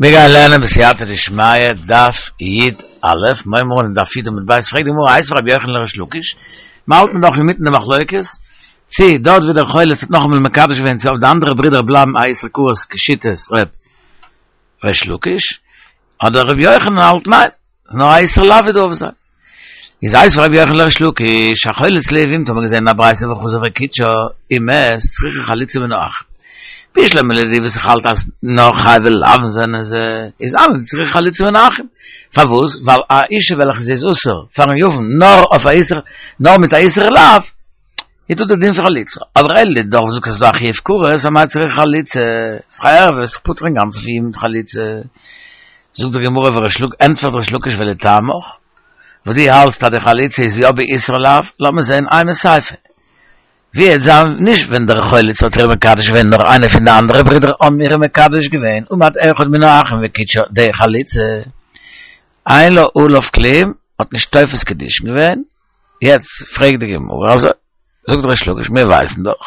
מיר גייען לערנען בסייעתא דשמיא דף י א, מיר הייבן אן דף י עמוד ב', פרעגט די גמרא איתיביה רבי יוחנן לריש לקיש, מיר האלטן דאך אינמיטן די מחלוקת, צי דארט ווי דער חולץ האט נאכאמאל מקדש געווען צו אויף די אנדערע ברידער בלייבן א איסור כרת כשיטת ר' ריש לקיש, אדער רבי יוחנן האלט ניין, ס'איז נאר א איסור לאו איז דא אויף זיי. איז איתיביה רבי יוחנן לריש לקיש, החולץ ליבמתו האט מען געזען אין א ברייתא וחזר וקידשה, ומת, צריכה חליצה מן האחים. בשלמא לדידי וואס איך האלט אז נאר חייבי לאוין זענען זיי, איז אנן צריכה חליצה מן האחים. פארוואס? ווייל א אישה וועלכע זי איז אסור פארן יבם נאר אויף א איסור, נאר מיט א איסור לאו, איז דא די דין פון חליצה. אבער אלא לדידך וואס זאגט אז ס'איז דא א חיוב כרת, אמאי צריכה חליצה? ס'איז דאך א ערוה, איז פטור אינגאנצן פון יבום מיט חליצה. זאגט די גמרא וריש לק ענטפערט ריש לקיש ולטעמיך, וואס דו האלטסט אז די חליצה איז יא באיסור לאו, לאמיר זען אימא סיפא. ווי וועט זיין נישט ווען דער חולץ האט איר מקדש געווען נאר איינער פון די אנדערע ברידער האבן איר מקדש געווען עמד אחד מן האחים וקידשה די חליצה אין לה עליו כלום האט נישט תופס קידושין געווען יעצט פרעגט די גמרא אזוי, זאגט ריש לקיש מיר ווייסן דאך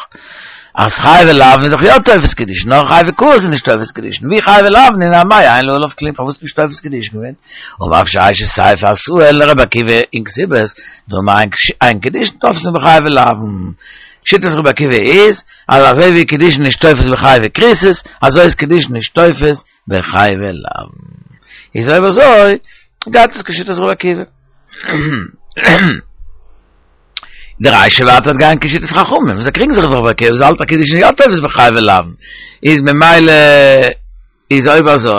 אז חייבי לאוין איז דאך יא תופס קידושין, נאר חייבי כרת איז נישט תופס קידושין, ווי חייבי לאוין און אמאי אין לה עליו כלום פארוואס נישט תופס קידושין געווען? אמר רב ששת סיפא אתאי לרבי עקיבא אין כתובות, דאמר אין קידושין תופסין בחייבי לאוין. שיטת רבי עקיבא איז אז אזוי ווי קידושין נישט תופס בחייבי כריתות, אזוי איז קידושין נישט תופס בחייבי לאוין. איז אויב אזוי גייט עס כשיטת רבי עקיבא. די רישא ווייטער וועט גיין כשיטת חכמים, זיי קריגן זיך דאך רבי עקיבא, זיי האלטן אז קידושין יא תופס בחייבי לאוין, איז ממילא איז אויב אזוי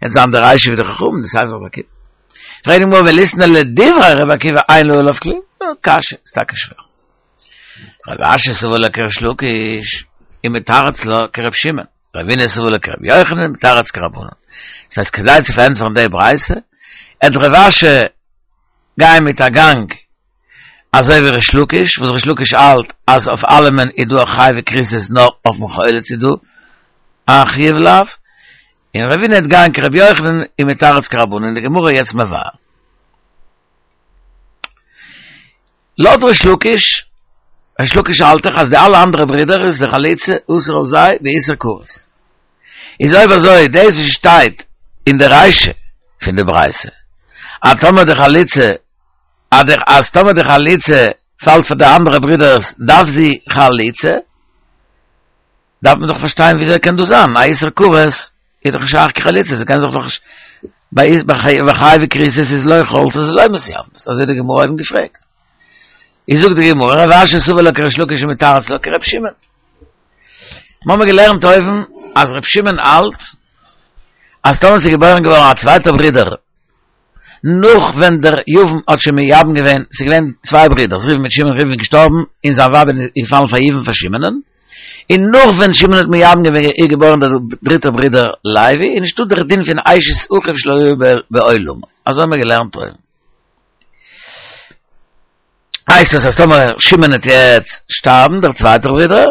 וועט זיין די רישא ווי די חכמים, די סיפא רבי עקיבא. פרעגט די גמרא וליתני לדברי רבי עקיבא אין לה עליו כלום? קשיא, איז טאקע שווער. רב אשי סבר לה כריש לקיש, ומתרץ לה כרב שמעון. רבינא סבר לה כרבי יוחנן ומתרץ כרבנן. דאס הייסט כדי צו פארענטפערן די ברייתא, עט רב אשי גיין מיט א גאנג אזוי ווי ריש לקיש, וואס ריש לקיש האלט אז אויף אלעמען איז דא א חייבי כריתות נאר אויפן חולץ איז דא א חיוב לאו, און רבינא עט גיין כרבי יוחנן ומתרץ כרבנן, און די גמרא יעצט מבאר. לויט ריש לקיש, ריש לקיש האלט דאך אז די אלע אנדערע ברידער איז די חליצה אסור אויף זיי באיסור כרת. איז אויב אזוי דאס וואס שטייט אין די רישא פון די ברייתא אז טאמער די חליצה אז טאמער די חליצה פאלט פאר די אנדערע ברידערס דארף זי חליצה, דארף מען דאך פארשטיין וויאזוי קען דאס זיין, א איסור כרת איז דאך נישט שייך קיין חליצה, ס'קען זיך דאך נישט, ביי חייבי כריתות איז לא חולצות ולא מתייבמות, אזוי האט די גמרא אויבן געפרעגט. איז זאגט די גמרא, רב אשי סבר לה כריש לקיש ומתרץ לה כר' שמעון. מיר האבן געלערנט אויבן אז ר' שמעון האלט אז טאמער ס'איז געבוירן געווארן א צווייטער ברודער נאך ווען דער יבם האט שוין מייבם געווען, ס'איז געווען צוויי ברידערס, ראובן מיט שמעון, ראובן איז געשטארבן און זיין ווייב איז געפאלן פאר יבום פאר שמעונ'ען, און נאך ווען שמעון האט מייבם געווען איז געבוירן דער דריטער ברודער לוי, איז נישטא דער דין פון אשת אחיו שלא היה בעולמו, אזוי האבן מיר געלערנט אויבן. הייסט עס אז טאמער שמעון וועט יעצט שטארבן, דער צווייטער ברודער,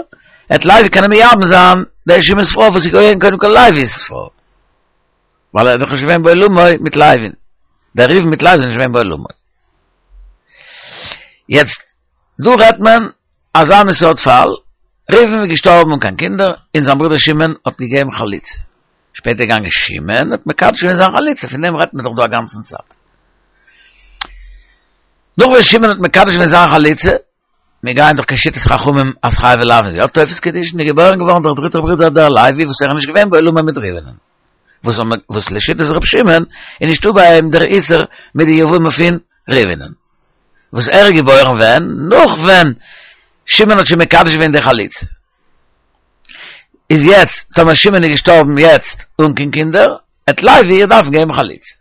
וועט לוי קענען מייבם זיין דער שמעון'ס פרוי וואס איז געווען קודם כל לוי'ס פרוי. ווייל ער איז דאך נישט געווען בעולמו מיט לוי'ן, דער ראובן מיט לוי זענען נישט געווען בעולמו. יעצט, דא רעדט מען אזא מין סארט פאל, ראובן איז געשטארבן אן קיין קינדער, און זיין ברודער שמעון האט געגעבן חליצה. שפעטער געגאנגען שמעון האט מקדש געווען זיין חליצה, פון דעם רעדט מען דאך דא א גאנצן צייט. נאך וואס שמעון האט מקדש געווען זיין חליצה, מיר גייען דאך כשיטת חכמים אז חייבי לאוין איז יא תופס קידושין, איז געבוירן געווארן דער דריטער ברודער דער לוי וואס ער איז נישט געווען בעולמו מיט ראובנ'ן, וואס וואס לשיטת ר' שמעון איז נישטא ביי אים דער איסור מיט די יבמה פון ראובנ'ן, וואס ער איז געבוירן ווען? נאך ווען שמעון האט שוין מקדש געווען די חליצה. איז יעצט טאמער שמעון איז געשטארבן יעצט אן קיין קינדער, עט לוי איר דארפן געבן חליצה.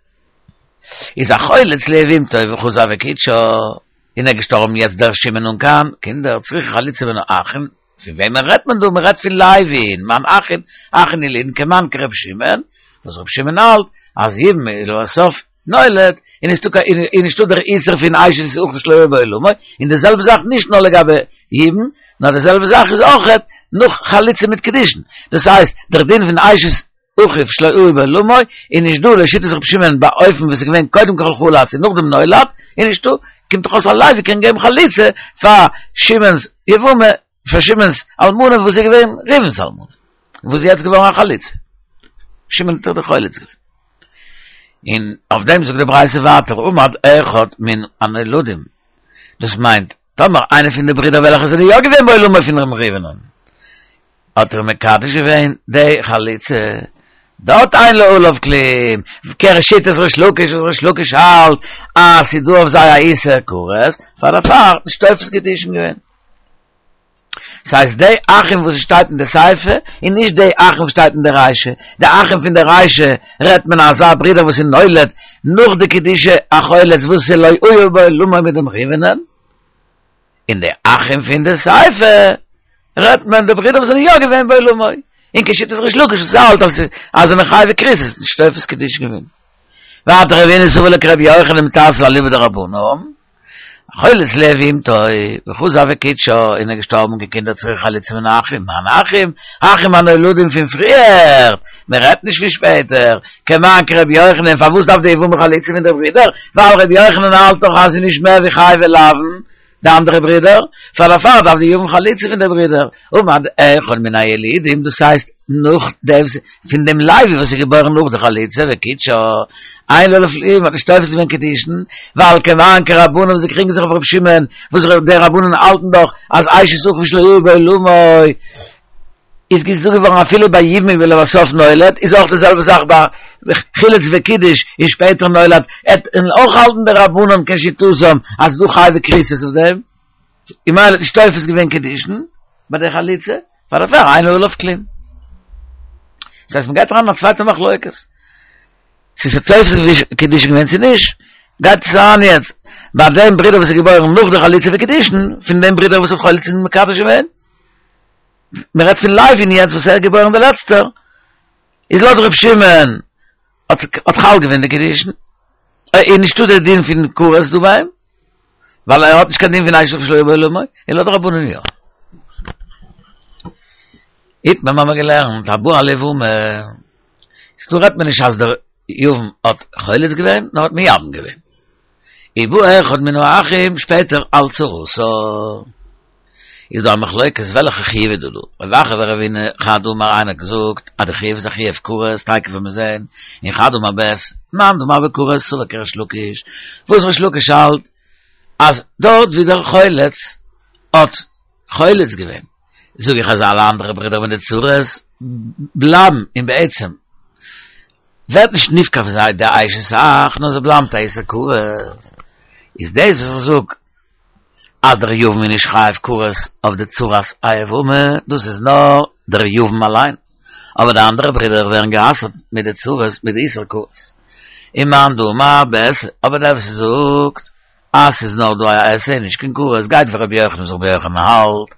איז החולץ ליבמתו וחזר וקידשה, און ער איז געשטארבן יעצט דער שמעון אן קיין קינדער, צריכה חליצה מן האחין, פון וועמען רעדט מען דא? מען רעדט פון לוי'ן, מאן אחין, אחין ילודין כמאן כר' שמעון, וואס ר' שמעון האלט אז יבום איז לבסוף נולד, און איז נישטא דער איסור פון אשת אחיו שלא היה בעולמו, און די זעלבע זאך נישט נאר לגבי יבום, נאר די זעלבע זאך איז אויכעט נאך חליצה מיט קידושין, דאס הייסט דער דין פון אשת אחיו שלא היה בעולמו איז נישט דא לשיטת רבי שמעון באופן וואס איז געווען קודם כל חלץ און נאכדעם נולד איז נישטא, קומט דאך אויס אז לוי קען געבן חליצה פאר שמעון'ס יבמה, פאר שמעון'ס אלמנה וואס איז געווען ראובן'ס אלמנה, וואס איז יעצט געווארן א חלוצה, שמעון האט דאך די חולץ געווען. און אויף דעם זאגט די ברייתא ווייטער עמד אחד מן הנולדים, דאס מיינט טאמער איינער פון די ברידער וועלכע זענען יא געווען בעולמו פון ר' ראובן'ען האט ער מקדש געווען די חליצה, דארט אין לה עליו כלום, כשיטת ריש לקיש וואס ריש לקיש האלט אז ס'איז דא אויף זיי א איסור כרת, פאר דערפאר נישט תופס קידושין געווען. ס'הייסט די אחים וואס שטייט אין די סיפא און נישט די אחים וואס שטייט אין די רישא, די אחים פון די רישא רעדט מען אזא ברודער וואס איז נולד נאך די קידושי החולץ וואס איז לא היה בעולמו מיט דעם ראובנ'ען, און די אחים פון די סיפא רעדט מען די ברידער וואס זענען יא געווען בעולמו, און כשיטת ריש לקיש וואס האלט אז אז זענען חייבי כריתות איז נישט תופס קידושין געווען. ווייטער רב הונא סבר לה כרבי יוחנן מתרצא אליבא דרבנן. חולץ ליבמתו, וחזר וקידשה, און ער איז געשטארבן אן קיין קינדער צריכה חליצה מן האחים, מאן אחים? אחים הנולדים פון פריער, מען רעדט נישט פון שפעטער, כמאן כרבי יוחנן, פארוואס דארף די יבמה חליצה פון די ברידער? ווייל רבי יוחנן האלט דאך אז ס'איז נישט מער ווי חייבי לאוין, די אנדערע ברידער, פאר דערפאר דארף די יבם חליצה פון די ברידער, עמד אחד מן הילידים, דאס הייסט נאך דעם פון דעם לוי וואס איז געבוירן נאך די חליצה וקידשה, אין לה עליו כלום האט נישט תופס געווען קידושין, ווייל כמאן כרבנן וואס זיי קריגן זיך אויף רבי שמעון, וואס די רבנן האלטן דאך אז אשת אחיו שלא היה בעולמו איז געזאגט געווארן אפילו ביי יבום ולבסוף נולד, איז אויך די זעלבע זאך ביי חילץ וקידש און שפעטער נולד, עט און אויך האלטן די רבנן כשיטתם אז ס'דא חייבי כריתות אויף דעם, און ממילא האט נישט תופס געווען קידושין ביי די חליצה, פאר דערפאר אין לה עליו כלום. דאס הייסט מ'גייט אריין אין א צווייטע מחלוקת. צו ס'איז תופס קידושין געווען צו נישט, גייט עס אריין יעצט ביי דעם ברודער וואס איז געבוירן נאך די חליצה וקידושין, פון דעם ברודער וואס האט חולץ און מקדש געווען. מען רעדט פון לוי'ן יעצט וואס ער איז געבוירן דער לעצטער, איז לויט ר' שמעון האט האט חל געווען די קידושין, איז נישטא דער דין פון כרת דא ביי אים, ווייל ער האט נישט קיין דין פון אשת אחיו שלא היה בעולמו, און לויט די רבנן יא. איתמר האבן מיר געלערנט הבא על יבמה, איז דא רעדט מען נישט אז דער יבם האט חולץ געווען, נאר האט מייבם געווען. ובא אחד מן האחים שפעטער על צרתה. איז דא א מחלוקת וועלכע חיוב איז דא דא. רב אחא ורבינא חד אמר איינער האט געזאגט אז די חיוב איז א חיוב כרת תיכף וועט מען זעהן און חד אמר בעשה מאן דאמר בכרת סבר כריש לקיש וואס ריש לקיש האלט אז דארט ווי דער חולץ האט חולץ געווען זאג איך אז אלע אנדערע ברידער מיט די צרות בלייבן און בעצם ווערט נישט נפקע פון זיי די אשת אח נאר זיי בלייבן א איסור כרת איז דאס וואס איך זאג אז דער יבם איז נישט חייב כרת אויף די צרת היבמה דאס איז נאר דער יבם אליין אבער די אנדערע ברידער ווערן גע'אסר'ט מיט די צרות מיט די איסור כרת און מאן דאמר בעשה אבער דער וואס זאגט אז ס'איז נאר דא א עשה נישט קיין כרת גייט ווי רבי יוחנן וואס רבי יוחנן האלט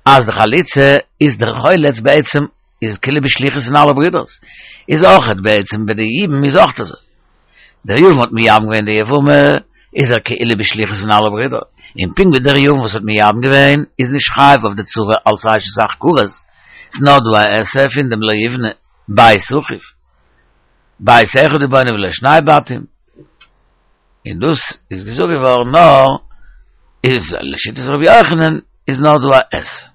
אז די חליצה איז דער חולץ בעצם איז כאילו בשליחות פון אלע ברידערס, איז אויכעט בעצם ביי די יבום איז אויכט אזוי. דער יבם האט מייבם געווען די יבמה, איז ער כאילו בשליחות פון אלע ברידער, און פונקט ווי דער יבם וואס האט מייבם געווען איז נישט חייב אויף די צרה אלס אשת אח כרת, ס'איז נאר דא א עשה פון דעם לא יבנה בית אחיו, בית אחד הוא בונה ולא שני בתים, און דאס איז געזאגט געווארן נאר איז לשיטת רבי יוחנן איז נאר דא א עשה.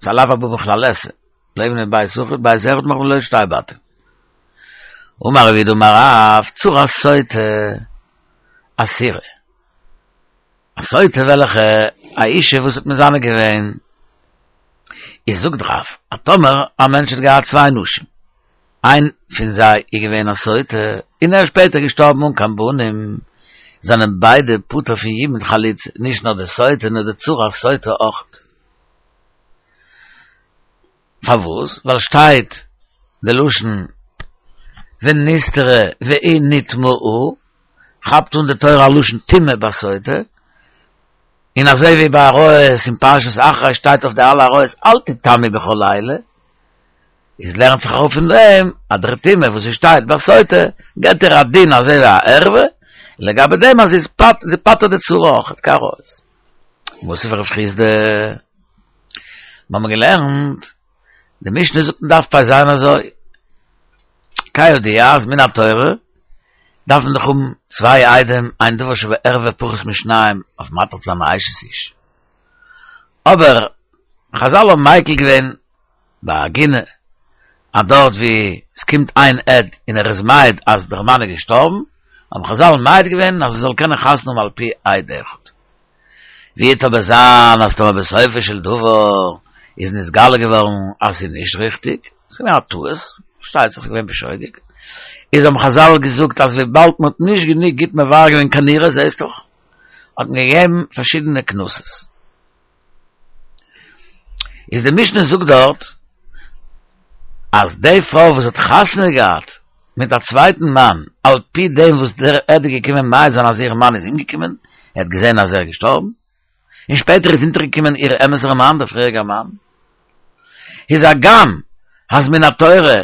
ס'איז א לאו הבא בכלל עשה, לא יבנה בית אחיו, בית אחד מאכט מען ולא שתי בתים. אמר רב יהודה אמר רב, צרת סוטה אסורה. א סוטה וועלכע א אישה וואס האט מזנה געווען, איז זאגט רב, אז טאמער א מענטש האט געהאט צוויי נשים, איין פון זיי איז געווען א סוטה, און ער איז שפעטער געשטארבן אן קיין בנים, זענען ביידע פטור פון יבום מיט חליצה, נישט נאר די סוטה נאר די צרת סוטה אויך. פארוואס? ווייל שטייט די לשון ונסתרה והיא נטמאה, כאפט אן די תורה א לשון טומאה ביי סוטה, און אזוי ווי ביי עריות אין פרשת אחרי שטייט אויף די אלע עריות אל תטמאו בכל אלה, איז לערנט זיך אראפ פון דעם אז דער טומאה וואס עס שטייט ביי סוטה געבט איר א דין אזוי ווי א ערווה, לגבי דעם אז זי איז זי פטר'ט די צרה אויכעט כעריות. מתיב רב חסדא, מיר האבן געלערנט, די משנה זאגט אין דף פ"ז אזוי, כידוע אז מן התורה דארף מען דאך האבן צוויי עדים, אין דבר שבערווה פחות משניים אויף מתיר צו זיין א אשת איש. אבער חזל האבן מיקל געווען ביי עגונה. אז דארט ווי עס קומט איין עד און ער איז מעיד אז דער מאן איז געשטארבן, האבן חזל מעיד געווען אז זי זאל קענען חתונה האבן על פי עד אחד. ווי וועט אבער זיין אז טאמער בסופו של דבר איז נתגלה געווארן אז ס'איז נישט ריכטיג, ס'איז געווען א טעות, פארשטייט זיך ס'איז געווען בשוגג, איז האבן חזל געזאגט אז וויבאלד מ'האט נישט גענוג גוט מברר געווען כנראה זעהסט דאך, האט מען געגעבן פארשידענע קנסות. איז די משנה זאגט דארט אז די פרוי וואס האט חתונה געהאט מיט א צווייטן מאן על פי דעם וואס דער עד איז געקומען מעיד זיין אז איר מאן איז אומגעקומען, ער האט געזען אז ער איז געשטארבן, און שפעטער איז אונטערגעקומען איר אמת'ער מאן, דער פריעריגער מאן, איז הגם אז מן התורה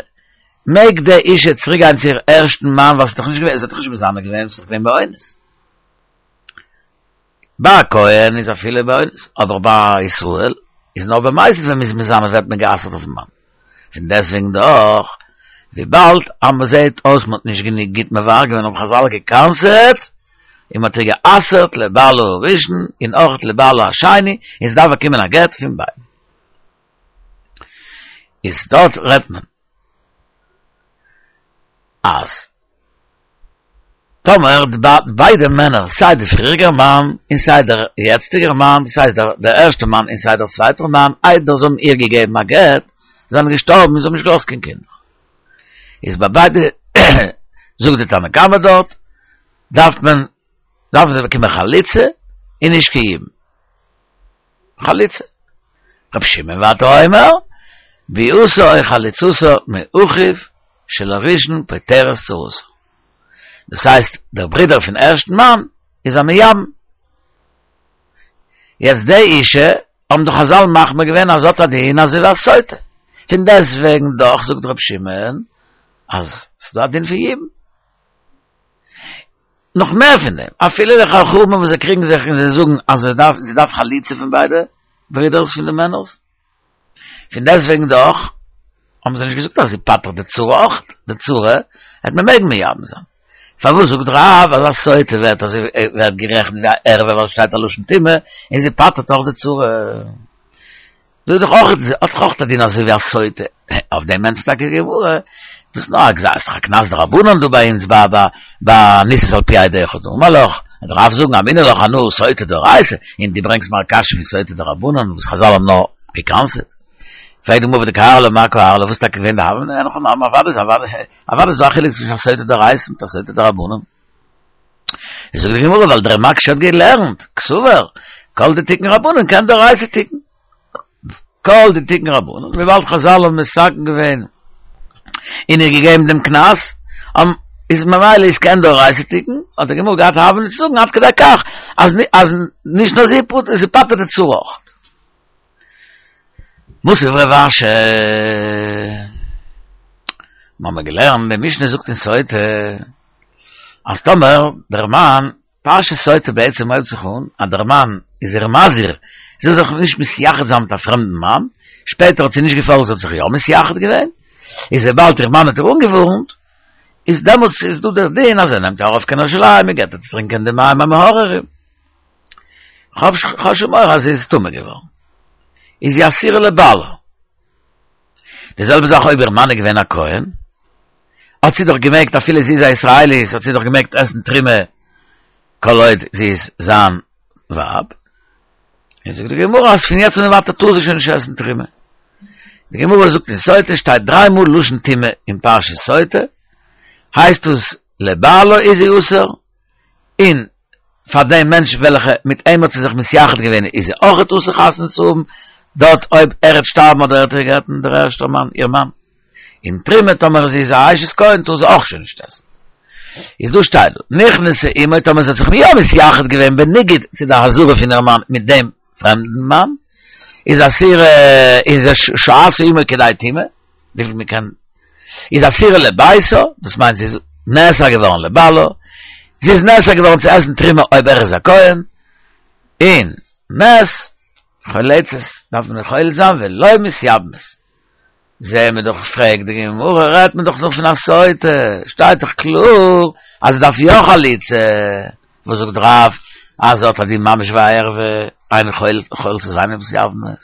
מעג די אישה צוריקגיין צו איר ערשטן מאן ווייל ס'איז דאך נישט געווען, זי האט דאך נישט מזנה געווען, ס'איז דאך געווען באונס. ביי א כהן איז אפילו באונס, אבער ביי א ישראל איז נאר במזיד ווען מ'איז מזנה ווערט מען גע'אסר'ט אויפן מאן. פון דעסטוועגן דאך, וויבאלד אז מ'זעהט אויס מ'האט נישט גענוג גוט מברר געווען האבן חזל גע'קנס'עט און מ'האט איר גע'אסר'ט לבעלה הראשון און אויך לבעלה השני און זי דארף באקומען א גט פון ביידן. איז דארט רעדט מען אז טאמער ביידע מענער סיי דער פריעריגער מאן און סיי דער יעצטיגער מאן, דאס הייסט דער ערשטער מאן און סיי דער צווייטער מאן, איידער זיי האבן איר געגעבן א גט, זענען געשטארבן און זיי האבן נישט געלאזט קיין קינדער. איז ביי ביידע, זאגט די תנא קמא דארט, דארף מען, דארפן זיי באקומען חליצה און נישט קיין יבום. חליצה. רבי שמעון ווייטער אומר, ביאתה או חליצתה מאחיו של הראשון פוטרת צרתה. דאס הייסט דער ברודער פון ערשטן מאן איז א מייבם. יעצט די אישה האבן דאך חזל מחמיר געווען אז האט א דין אזוי ווי א סוטה. פון דעסטוועגן דאך זאגט רבי שמעון אז ס'דא א דין פון יבום. נאך מער פון דעם, אפילו די חכמים וואס זיי קריגן זיך און זיי זאגן אז זי דארף זי דארף חליצה פון ביידע ברודערס פון די מענערס, פון דעסטוועגן דאך האבן זיי נישט געזאגט אז זי פטר'ט די צרה אויך, די צרה העט מען מעגן מייבם זיין. פארוואס זאגט רב אז א סוטה ווערט אזוי ווערט גערעכנט ווי א ערווה ווייל שטייט א לשון טומאה און זי פטר'ט אויך די צרה? דא איז דאך אויך, האט דאך אויך א דין אזוי ווי א סוטה, אויף דעם ענטפערט טאקע די גמרא, דאס איז נאר א גזירה, ס'איז דאך א קנס דרבנן דא ביי אונז ביי ביי ביי ניסת על פי עד אחד, אמר לך, וועט רב זאגן אמינא לך אנא סוטה דאורייתא, און דו ברענגסט מיר א קשיא פון סוטה דרבנן וואס חזל האבן נאר געקנס'עט. פרעגט די גמרא ודקארי לה מאי קארי לה, וואס איז טאקע געווען די הוה אמינא, אין הכי נמי, אוודאי איז אוודאי איז דא א חילוק צווישן א סוטה דאורייתא מיט א סוטה דרבנן. זאגט די גמרא ווייל דער מקשה האט געלערנט, קסבר, כל דתיקון רבנן כעין דאורייתא תיקון. כל דתיקון רבנן, וויבאלד חזל האבן מתקן געווען און איר געגעבן דעם קנס, איז ממילא איז כעין דאורייתא תיקון, האט די גמרא געהאט הוה אמינא צו זאגן עד כדי כך אז אז נישט נאר זי פטר'ט, זי פטר'ט די צרה אויך. מתיב רב אשי, מ'האמיר געלערנט, די משנה זאגט אין סוטה, אז טאמער דער מאן, פרשת סוטה בעצם הויבט זיך אן אז דער מאן איז איר מזהיר, זי זאל זיך נישט מתייחד זיין מיט א פרעמדן מאן, שפעטער האט זי נישט געפאלגט זי האט זיך יא מתייחד געווען, איז וויבאלד איר מאן האט איר אנגעווארנט, איז דעמאלטס איז דא דער דין אז ער נעמט איר ארויף קיין ירושלים און געבט איר צו טרינקען די מים המאררים. כ'האב שוין מורא אז זי איז טמא געווארן. איז זי אסורה לבעלה. די זעלבע זאך אויב איר מאן איז געווען א כהן, האט זי דאך געמעגט אפילו זי איז א ישראלית האט זי דאך געמעגט עסן תרומה כל עוד זי איז זיין ווייב, און זאגט די גמרא אז פון יעצט און ווייטער טאר זי שוין נישט עסן תרומה. די גמרא זאגט אין סוטה שטייט דריי מאל לשון טומאה אין פרשת סוטה, הייסט עס לבעלה איז זי אסור, און פאר דעם מענטש וועלכע מיט אים האט זי זיך מתייחד געווען איז זי אויכעט אסור חתונה צו האבן, דארט אויב ער וועט שטארבן אדער ער וועט איר גט'ן דער ערשטער מאן, איר מאן. און תרומה טאמער זי איז א אשת כהן טאר זי אויך שוין נישט עסן. איז דא שטייט דא, נכנסה עמו טאמער זי האט זיך יא מתייחד געווען בניגוד צו די אזהרה פון איר מאן מיט דעם פרעמדן מאן, איז אסורה איז שהתה עמה כדי טומאה, וויפיל מען קען, איז אסורה לביתה, דאס מיינט זי איז נאסר געווארן לבעלה, זי איז נאסר געווארן צו עסן תרומה אויב ער איז א כהן, און מת, חולצת, דארף מען חולץ זיין ולא מתייבמת. זעהן מיר דאך פרעגט די גמרא רעדט מען דאך דא פון א סוטה, שטייט דאך קלאר אז זי דארף יא חליצה, וואס זאגט רב אז זי האט א דין ממש ווי א ערווה, אין חולצת ואין מתייבמת.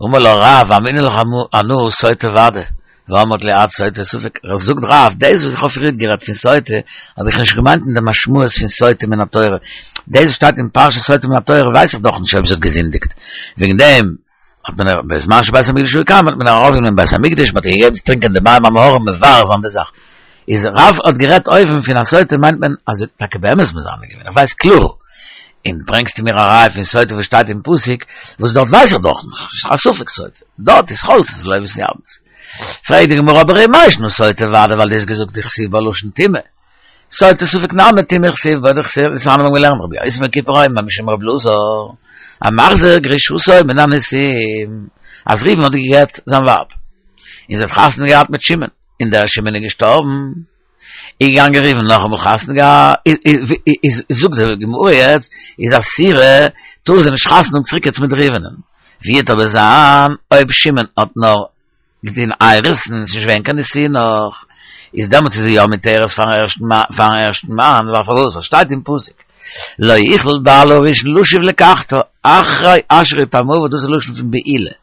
אמר לה רב, אמינא לך אנא סוטה ודאי, ואמרת לי את סוטה ספק, זאגט רב, דאס וואס איך האב פריערט גערעדט פון סוטה, האב איך נישט געמיינט אין די משמעות פון סוטה מן התורה, דאס וואס שטייט אין פרשת סוטה מן התורה ווייס איך דאך נישט אויב זי האט געזינדיגט, וועגן דעם האט מען בזמן שבית המקדש היה קיים האט מען איר ארויפגענומען אין בית המקדש, מען האט איר געגעבן צו טרינקען די מים המאררים מברר זיין די זאך, איז רב האט גערעדט אויבן פון א סוטה מיינט מען אז זי האט טאקע באמת מזנה געווען, איך ווייס קלאר, און ברענגסטו מיר א ראיה פון סוטה וואס שטייט אין פסוק, וואס דארט ווייס איך דאך נישט, ס'איז א ספק סוטה, דארט איז חולצות ולא מתייבמות. פרעגט די גמרא אבער ומאי שנא סוטה ודאי ווייל דו האסט געזאגט דכתיב בה לשון טומאה. סוטה ספק נמי טומאה כתיב בה דתניא האבן געלערנט רבי יוסי בן כיפר אומר משום רבי אלעזר המחזיר גרושתו מן הנישואין אז ראובן האט גע'גט זיין ווייב און זי האט חתונה געהאט מיט שמעון און דער שמעון איז געשטארבן איז געגאנגען ראובן נאכאמאל חתונה געהאט איז זאגט די גמרא יעצט איז אסורה טאר זי נישט חתונה האבן צוריק יעצט מיט ראובנ'ן ווי וועט אבער זיין אויב שמעון האט נאר געטון אירוסין, ס'איז נישט געווען קיין נישואין נאך, איז דעמאלטס איז זי יא מותרת פארן ערשטן פארן ערשטן מאן, ווייל פארוואס? ווייל שטייט אין פסוק לא יוכל בעלה הראשון לשוב לקחתה אחרי אשר יטמאוה וואס דאס איז לשון פון בעילה,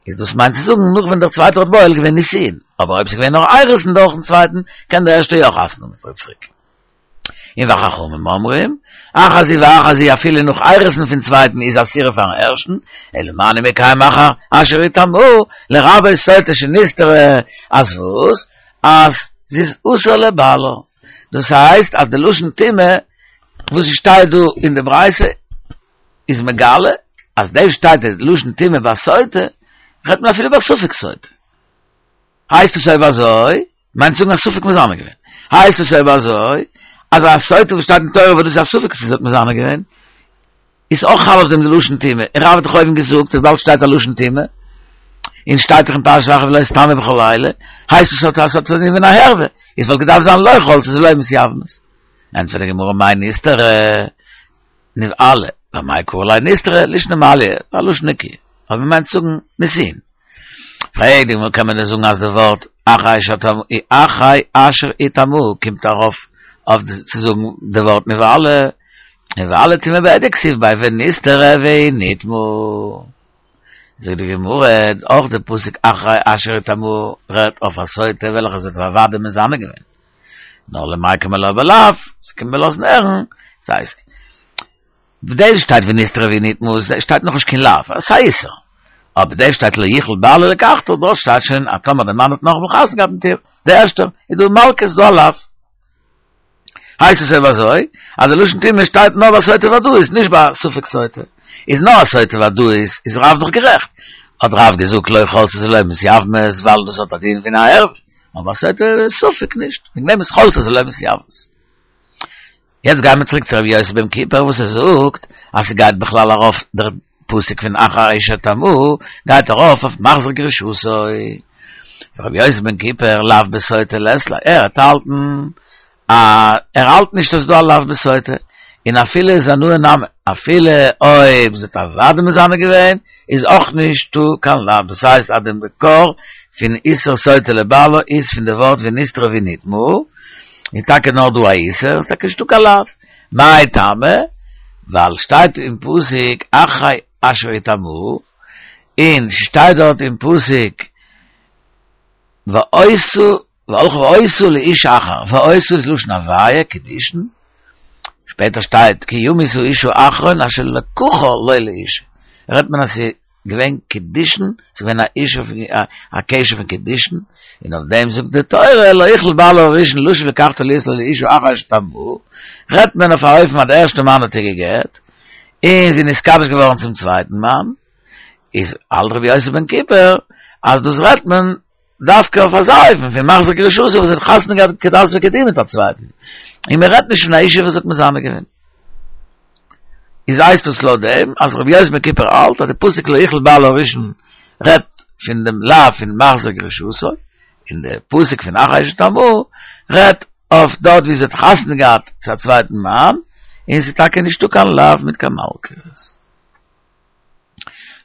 איז דאס מיינט צו זאגן נאך ווען דער צווייטער האט בועל געווען נישואין, אבער אויב ס'איז געווען נאר אירוסין דורכן צווייטן קען דער ערשטער יא חתונה האבן מיט איר צוריק. און וחכמים אומרים, אחת זו ואחת זו אפילו נאך אירוסין פון צווייטן איז אסורה פארן ערשטן, אלא מה אני מקיים אחר אשר יטמאוה, לרבות סוטה שנסתרה, אז וואס? אז זי איז אסור לבעלה. דאס הייסט אז די לשון טומאה וואס שטייט דא אין די ברייתא איז מגלה אז דא שטייט די לשון טומאה ביי סוטה, רעדט מען אפילו ביי ספק סוטה. הייסט עס אויב אזוי, מיינט צו זאגן א ספק מזנה געווען. הייסט עס אויב אזוי, אז א סוטה וואס שטייט אין תורה וואס דאס איז א ספק צו זי האט מזנה געווען, איז אויך חל אויף דעם די לשון טומאה. און רב האט דאך אויבן געזאגט וויבאלד שטייט א לשון טומאה, און שטייט דאך אין פרשת אחרי ולא תטמאו בכל אלה, הייסט עס אז ס'האט א דין פון א ערווה, איז וואלט געדארפט זיין לא חלצה ולא מתייבמות. ענטפערט די גמרא מאי נסתרה נבעלה, ואמאי קרי לה נסתרה, לישנא מעליא, א לשון נקיה, אבער מ'מיינט צו זאגן נישואין. פרעגט די גמרא קען מען דען זאגן אז די ווארט אחרי אחרי אשר יטמאוה קומט ארויף אויף צו זאגן די ווארט נבעלה, נבעלה טומאה בהדיא כתיב ביה ונסתרה והיא נטמאה. זאגט די גמרא, אויך די פסוק אחרי אשר יטמאוה רעדט אויף א סוטה וועלכע זי האט אוודאי מזנה געווען, נאר למיקמה לה בלאו, ס'קומט מיר לאזן הערן, ס'הייסט, דאס שטייט ונסתרה והיא נטמאה, שטייט נאכנישט קיין לאו, ס'איז א איסור. אבער דאס שטייט לא יוכל בעלה לקחתה, דארט שטייט שוין אז טאמער דער מאן האט נאכאמאל חתונה געהאט מיט איר, דער ערשטער, איז דא מלקות, איז דא א לאו. הייסט עס אויב אזוי, אז די לשון טומאה שטייט נאר ביי סוטה ודאית, נישט ביי ספק סוטה. איז נאר א סוטה ודאית, איז רב דאך גערעכט. האט רב געזאגט לא חלצות ולא מתייבמות, ווייל דאס האט א דין פון א ערווה. אבער סוטה ספק נישט, וועגן דעם איז חולצות ולא מתייבמות. יעצט גייען מיר צוריק צו רבי יוסי בן כיפר וואס ער זאגט אז ס'גייט בכלל ארויף דער פסוק פון אחרי אשר יטמאוה גייט ארויף אויף מחזיר גרושתו. רבי יוסי בן כיפר לאו בסוטה לית ליה, ער האט האלטן א ער האלט נישט אז ס'דא א לאו בסוטה, און אפילו זנאי נמי, אפילו אויב זי האט אוודאי מזנה געווען איז אויך נישטא קיין לאו, דאס הייסט אז די מקור פון איסור סוטה לבעלה איז פון די ווארט ונסתרה והיא נטמאה, איז טאקע נאר דא א איסור, איז טאקע נישטא קיין לאו. מאי טעמא? ווייל שטייט אין פסוק אחרי אשר יטמאוה, און ס'שטייט דארט אין פסוק והיתה והלכה והיתה לאיש אחר, והיתה איז לשון הוויה, קידושין, שפעטער שטייט כי ימות האיש האחרון אשר לקחה לו לאשה, רעדט מען אז ס'איז געווען קידושין, ס'איז געווען א איש א קשר פון קידושין, און אויף דעם זאגט די תורה לא יוכל בעלה הראשון לשוב לקחתה להיות לו לאשה אחרי אשר יטמאוה, רעדט מען אויף א אופן אז די ערשטע מאן האט איר גע'גט, און זי איז נתקדש געווארן צום צווייטן מאן, איז האלט רבי יוסי בן כיפר אז דאס רעדט מען דווקא אויף אזא אופן פון מחזיר גרושתו וואס האט חתונה געהאט כדת וכדין מיט א צווייטן, און מען רעדט נישט פון א אישה וואס האט מזנה געווען. איז הייסט דאס לויט דעם אז רבי יוסי בן כיפר האלט אז די פסוק לא יוכל בעלה הראשון רעדט פון דעם לאו פון מחזיר גרושתו, און די פסוק פון אחרי אשר יטמאוה רעדט אויף דארט ווי זי האט חתונה געהאט צו א צווייטן מאן, און ס'איז טאקע נישטא קיין לאו מיט קיין מלקות.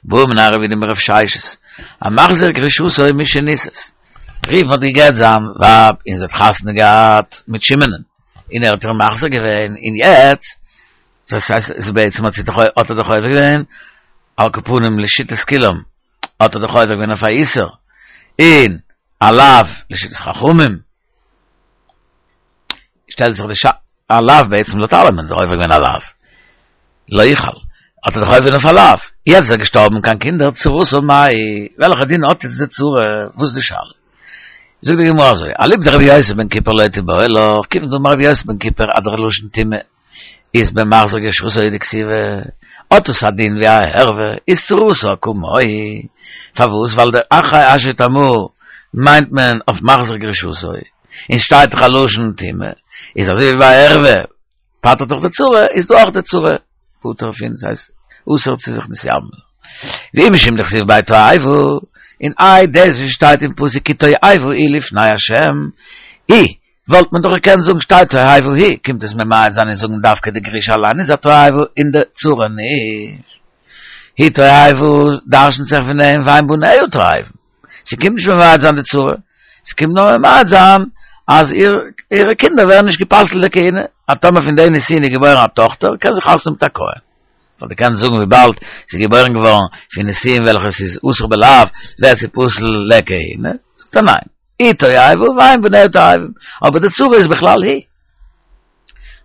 בעא מיניה רב יהודה מרב ששת, המחזיר גרושתו משנישאת. ראובן האט גע'גט זיין ווייב און זי האט חתונה געהאט מיט שמעונ'ען, און ער האט איר מחזיר געווען, און יעצט, דאס הייסט בעצם האט זי דאך האט ער דאך עובר געווען, על כל פנים לשיטת כולם. האט ער דאך עובר געווען אויף א איסור, און א לאו לשיטת חכמים, שטעלט זיך די שאלה, א לאו בעצם לויט אלעמען איז ער עובר געווען א לאו, לא יוכל, האט ער דאך עובר געווען אויף א לאו, יעצט איז ער געשטארבן אן קיין קינדער, צרתו מאי, וועלכע דין האט יעצט די צרה, וואס איז די שאלה? זאגט די גמרא אזוי, אליבא דרבי יוסי בן כיפר לא תיבעי לך, כיוון דאמר רבי יוסי בן כיפר אז דער לשון טומאה איז במחזיר גרושתו דכתיבי, האט עס א דין ווי א ערווה, איז צרתה כמוה, פארוואס? ווייל דער אחרי אשר יטמאה מיינט מען אויף מחזיר גרושתו, און שטייט דאך א לשון טומאה, איז אזוי ווי ביי ערווה פטר'ט דאך די צרה, איז דא אויך די צרה פטור פון, ס'הייסט אסור צו זיך מתייבם. ואי משום דכתיב ביה תועבה, און איי דאס וואס שטייט אין פסוק כי תועבה היא לפני השם, היא, וואלט מען דאך געקענט זאגן שטייט תועבה היא, קומט עס ממעט זיין און זאגן דווקא די גרושה אליין איז א תועבה און די צרה נישט. היא תועבה דרשנ'ט זיך פון דעם ואין בניה תועבה. ס'קומט נישט ממעט זיין די צרה, ס'קומט נאר ממעט זיין אז אירע קינדער ווערן נישט גע'פסל'ט לכהונה, אז טאמער פון די נישואין איז געבוירן א טאכטער קען זי חתונה האבן מיט א כהן. ווייל דו קענסט זאגן וויבאלד ס'איז געבוירן געווארן פון נישואין וועלכע ס'איז אסור בלאו ווערט זי פסול לכהונה, זאגט ער ניין, היא תועבה ואין בניה תועבה, אבער די צרה איז בכלל היא.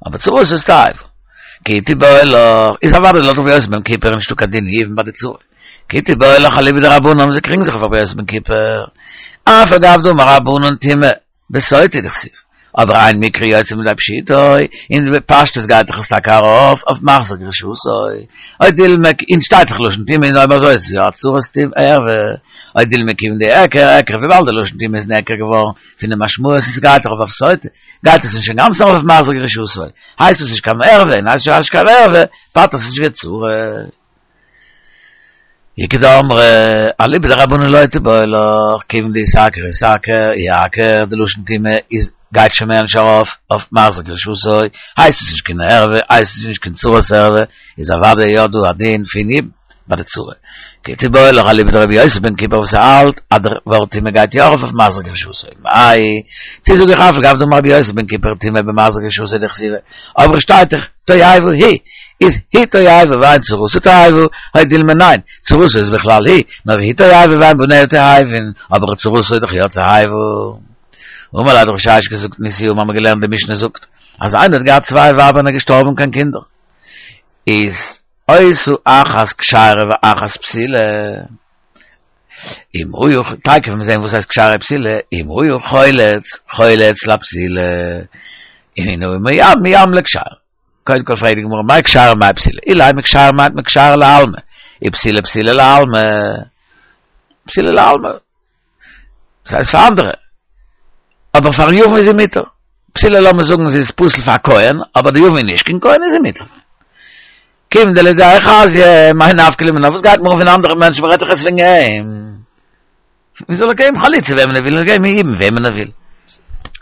אבער צרתה איז תועבה. כי תיבעי לך, איז אוודאי לויט רבי יוסי בן כיפר נישטא קיין דין יבום ביי די צרה. כי תיבעי לך אליבא דרבנן זיי קריגן זיך אויף רבי יוסי בן כיפר. אף על גב דאמר רבנן טומאה בסוטה דכתיב. אבער אין מקרא יוצא מידי פשוטו, און בפשטות גייט דאך עס טאקע ארויף אויף מחזיר גרושתו. או דילמא, און שטייט דאך לשון טומאה און אויב אזוי איז עס יא א צרת טומאה ערווה. או דילמא כיון דאיעקר אעקר וויבאלד די לשון טומאה איז נעקר געווארן פון די משמעות און ס'גייט דאך ארויף אויף סוטה, גייט עס נישט אינגאנצן ארויף אויף מחזיר גרושתו, הייסט עס נישט קיין ערווה און הייסט נישט קיין ערווה, פטר'ט עס נישט די צרה. איכא דאמרי, אליבא דרבנן לא תיבעי לך, כיוון דאיתעקר איתעקר, איעקר, די לשון טומאה איז גייט שוין מער נישט ארויף אויף מחזיר גרושתו, הייסט עס נישט קיין ערווה, הייסט עס נישט קיין צרת ערווה, איז אוודאי יא דא א דין פון יבום ביי די צרה. כי תיבעי לך אליבא דרבי יוסי בן כיפר וואס האלט אז דער ווארט טומאה גייט יא ארויף אויף מחזיר גרושתו, מאי, צו זאג איך אף על גב דאמר רבי יוסי בן כיפר טומאה במחזיר גרושתו דכתיבי, אבער שטייט דאך תועבה היא, איז היא תועבה ואין צרתה תועבה, או דילמא ניין, צרתה איז בכלל היא, נאר היא תועבה ואין בניה תועבין, אבער צרתה איז דאך יא תועבה. אמר ליה האט רב ששת געזאגט מתניתא האבן מיר געלערנט די משנה זאגט אז איינער האט געהאט צוויי ווייבער און איז געשטארבן אן קיין קינדער איז היתה אחת כשרה ואחת פסולה אם הוא תיכף מיר זעהן וואס הייסט כשרה פסולה אם הוא חולץ חולץ לפסולה אם הוא מייבם מייבם לכשרה קודם כל פרעגט די גמרא מאי כשרה מאי פסולה אילימא כשרה מיינט מען כשרה לעלמא אי פסולה פסולה לעלמא פסולה לעלמא דאס הייסט פאר אנדערע אבער פארן יבם איז זי מותר פסולה לאמיר זאגן זי איז פסול פאר א כהן אבער די יבם איז נישט קיין כהן איז זי מותר כיון דלדידיה חזיא מאי נפקא ליה מינה וואס גייט מיר אן פון אנדערע מענטשן מ'רעדט דאך יעצט וועגן אים ווי זאל ער געבן חליצה וועמען ער וויל און געבן יבום וועמען ער וויל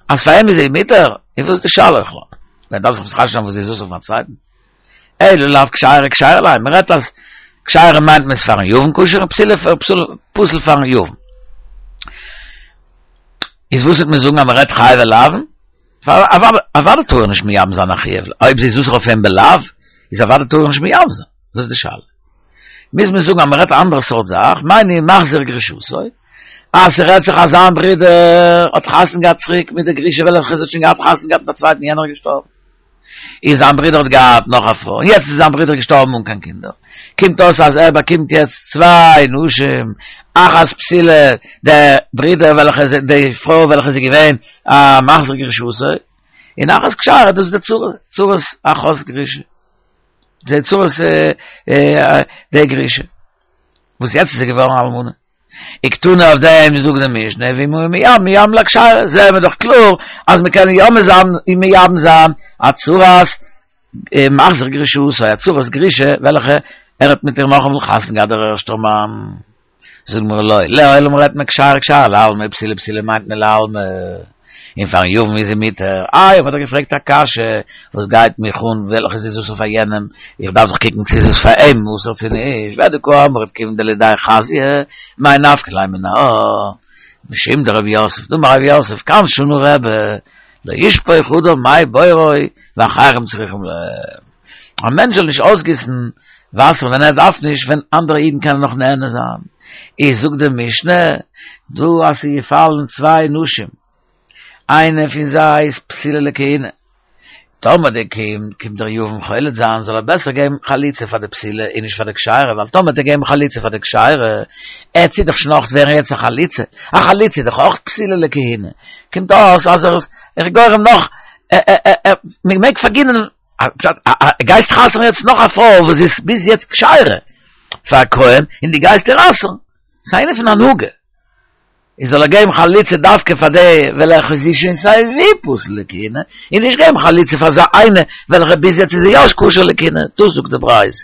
אז פאר אים איז זי מותר איז וואס איז די שאלה בכלל מען דארף זיך מתחשב זיין וואס זי איז אסור פארן צווייטן אלא לאו כשרה כשרה ליה מען רעדט אז כשרה מיינט מען איז פארן יבם כשר און פסולה פסול פארן יבם איז וואס וועט מען זאגן אז מען רעדט חייבי לאוין אוודאי טאר ער נישט מייבם זיין א חיוב, אויב זי איז אסור אויף אים בלאו, איז אוודאי טאר ער נישט מייבם זיין, דאס איז די שאלה. מוז מען זאגן אז מען רעדט א אנדערע סארט זאך, מיינט מחזיר גרושתו, אז ס'רעדט זיך אז זיין ברודער האט חתונה געהאט צוריק מיט די גרושה וועלכע זי האט שוין געהאט חתונה געהאט מיט א צווייטן יענער איז געשטארבן. איז זיין ברודער האט געהאט נאך א פרוי, און יעצט איז זיין ברודער געשטארבן אן קיין קינדער, קומט אויס אז ער באקומט יעצט צוויי נשים, אחת פסולה, די ברודער וועלכע איז די פרוי וועלכע איז געווען א מחזיר גרושתו, און אחת כשרה, דאס איז די צרה, צרת אחות גרושה, די צרת די גרושה, וואס יעצט איז זי געווארן אלמנה. וקתני אויף דעם זאגט די משנה ואם הוא מייבם מייבם לכשרה, זעהן מיר דאך קלאר אז מען קען יא מייבם זיין א צרת מחזיר גרושתו, א צרת גרושה וועלכע ער האט מיט איר נאכאמאל חתונה געהאט דער ערשטער מאן. זאגט די גמרא לא, לעולם רעדט מען כשרה כשרה לעלמא פסולה פסולה מיינט מען לעלמא. און פארן יבם איז זי מותר. איי, האט ער געפרעגט א קשיא, וואס גייט מיך אן וועלכע ס'איז אסור פאר יענעם, איך דארף זיך קוקן צו ס'איז פאר אים אסור צו נישט, והא דקאמרת כיון דלידיה חזיא, מאי נפקא ליה מינה. משום דרב יוסף, דאמר רב יוסף, כאן שנה רבי, לא ישפוך אדם מי בורו ואחרים צריכים להם. א מענטש זאל נישט אויסגיסן. וואסער ווען ער דארף נישט ווען אנדערע אידן קענען נאך נהנה זיין. איז זאגט די משנה דא אז ס'איז געפאלן צוויי נשים איינע פון זיי איז פסולה לכהונה, טאמער די קומט דער יבם חולץ זיין זאל ער בעסער געבן חליצה פאר די פסולה און נישט פאר די כשרה ווייל טאמער וועט ער געבן חליצה פאר די כשרה עט זי דאך שוין אויך ווערן יעצט א חלוצה, א חלוצה איז דאך אויך פסולה לכהונה, קומט אויס אז ער איז גורם נאך מען מעג פארגינען גייסט אסר'ן יעצט נאך א פרוי וואס איז ביז יעצט כשרה פאר א כהן און דו גייסט איר אסר'ן, ס'איז א ענין פון הנהגה. איז זאל ער געבן חליצה דווקא פאר די וועלכע זי איז שוין סיי ווי פסול לכהונה, און נישט געבן חליצה פאר אזא איינע וועלכע ביז יעצט איז זי יא כשר לכהונה, דאס זאגט די ברייתא.